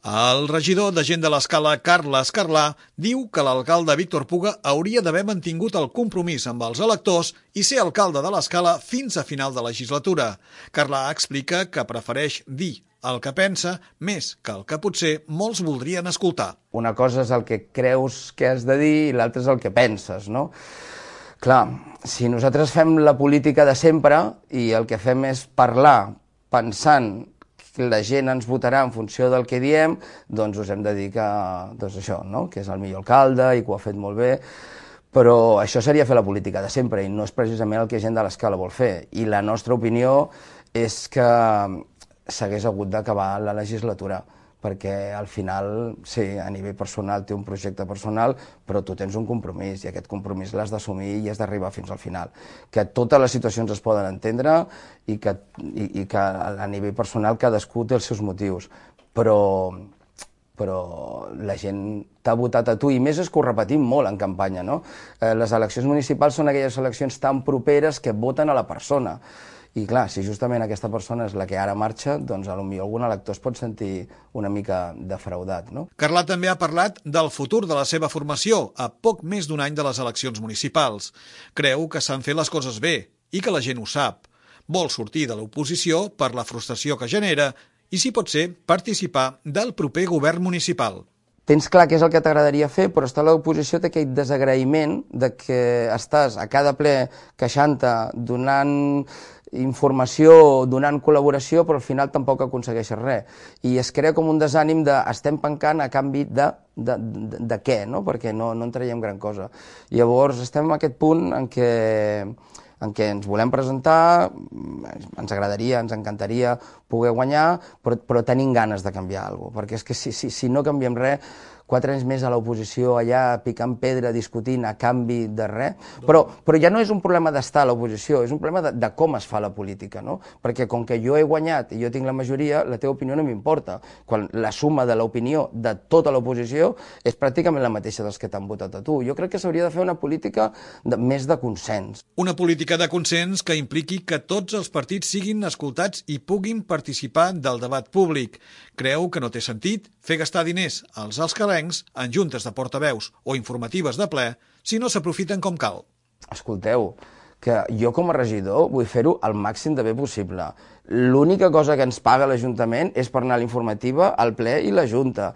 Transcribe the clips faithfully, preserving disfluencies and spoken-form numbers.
El regidor de Gent de l'Escala, Carles Carlà, diu que l'alcalde Víctor Puga hauria d'haver mantingut el compromís amb els electors i ser alcalde de l'Escala fins a final de legislatura. Carlà explica que prefereix dir el que pensa més que el que potser molts voldrien escoltar. Una cosa és el que creus que has de dir i l'altra és el que penses, no? Clar, si nosaltres fem la política de sempre i el que fem és parlar pensant la gent ens votarà en funció del que diem, doncs us hem de dir que, doncs això, no? Que és el millor alcalde i que ho ha fet molt bé, però això seria fer la política de sempre i no és precisament el que Gent de l'Escala vol fer. I la nostra opinió és que s'hagués hagut d'acabar la legislatura, perquè al final, sí, a nivell personal té un projecte personal, però tu tens un compromís i aquest compromís l'has d'assumir i has d'arribar fins al final. Que totes les situacions es poden entendre i que, i, i que a nivell personal cadascú té els seus motius, però, però la gent t'ha votat a tu i més és que ho repetim molt en campanya, no? Eh, les eleccions municipals són aquelles eleccions tan properes que voten a la persona. I clar, si justament aquesta persona és la que ara marxa, doncs potser algun elector es pot sentir una mica defraudat, no? Carlà també ha parlat del futur de la seva formació a poc més d'un any de les eleccions municipals. Creu que s'han fet les coses bé i que la gent ho sap. Vol sortir de l'oposició per la frustració que genera i, si pot ser, participar del proper govern municipal. Tens clar què és el que t'agradaria fer, però estar a l'oposició té aquell desagraïment de que estàs a cada ple queixant-te, donant informació, donant col·laboració, però al final tampoc aconsegueixes res. I es crea com un desànim de estem pencant a canvi de, de, de, de què, no? Perquè no, no en traiem gran cosa. Llavors estem en aquest punt en què, en què ens volem presentar, ens agradaria, ens encantaria poder guanyar, però, però tenim ganes de canviar alguna cosa, perquè és que si, si, si no canviem res, quatre anys més a l'oposició, allà picant pedra, discutint a canvi de res, però, però ja no és un problema d'estar a l'oposició, és un problema de, de com es fa la política, no? Perquè com que jo he guanyat i jo tinc la majoria, la teva opinió no m'importa, quan la suma de l'opinió de tota l'oposició és pràcticament la mateixa dels que t'han votat a tu. Jo crec que s'hauria de fer una política de, més de consens. Una política de consens que impliqui que tots els partits siguin escoltats i puguin participar del debat públic. Creu que no té sentit fer gastar diners als escalencs en juntes de portaveus o informatives de ple si no s'aprofiten com cal. Escolteu, que jo com a regidor vull fer-ho al màxim de bé possible. L'única cosa que ens paga l'Ajuntament és per anar a l'informativa, al ple i la Junta.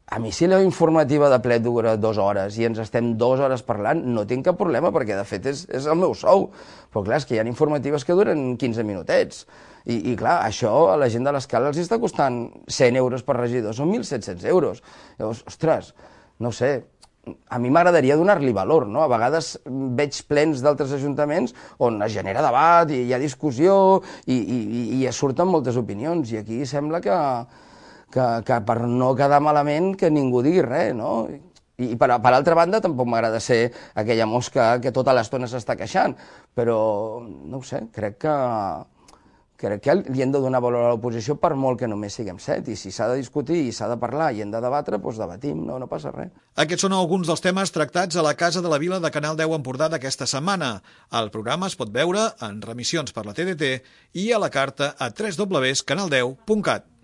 A mi si la informativa de ple dura dues hores i ens estem dues hores parlant, no tinc cap problema, perquè de fet és, és el meu sou. Però clar, és que hi ha informatives que duren quinze minutets. I, i clar, això a la Gent de l'Escala els està costant cent euros per regidor, són mil set-cents euros. Llavors, ostres, no ho sé, a mi m'agradaria donar-li valor, no? A vegades veig plens d'altres ajuntaments on es genera debat i hi ha discussió i, i, i es surten moltes opinions i aquí sembla que, que, que per no quedar malament que ningú digui res, no? I per, per altra banda tampoc m'agrada ser aquella mosca que tota l'estona s'està queixant, però no ho sé, crec que crec que li hem de donar valor a l'oposició per molt que només siguem set, i si s'ha de discutir i s'ha de parlar i hem de debatre, doncs debatim, no, no passa res. Aquests són alguns dels temes tractats a la Casa de la Vila de Canal deu Empordà d'aquesta setmana. El programa es pot veure en remissions per la T D T i a la carta a w w w punt canal deu punt cat.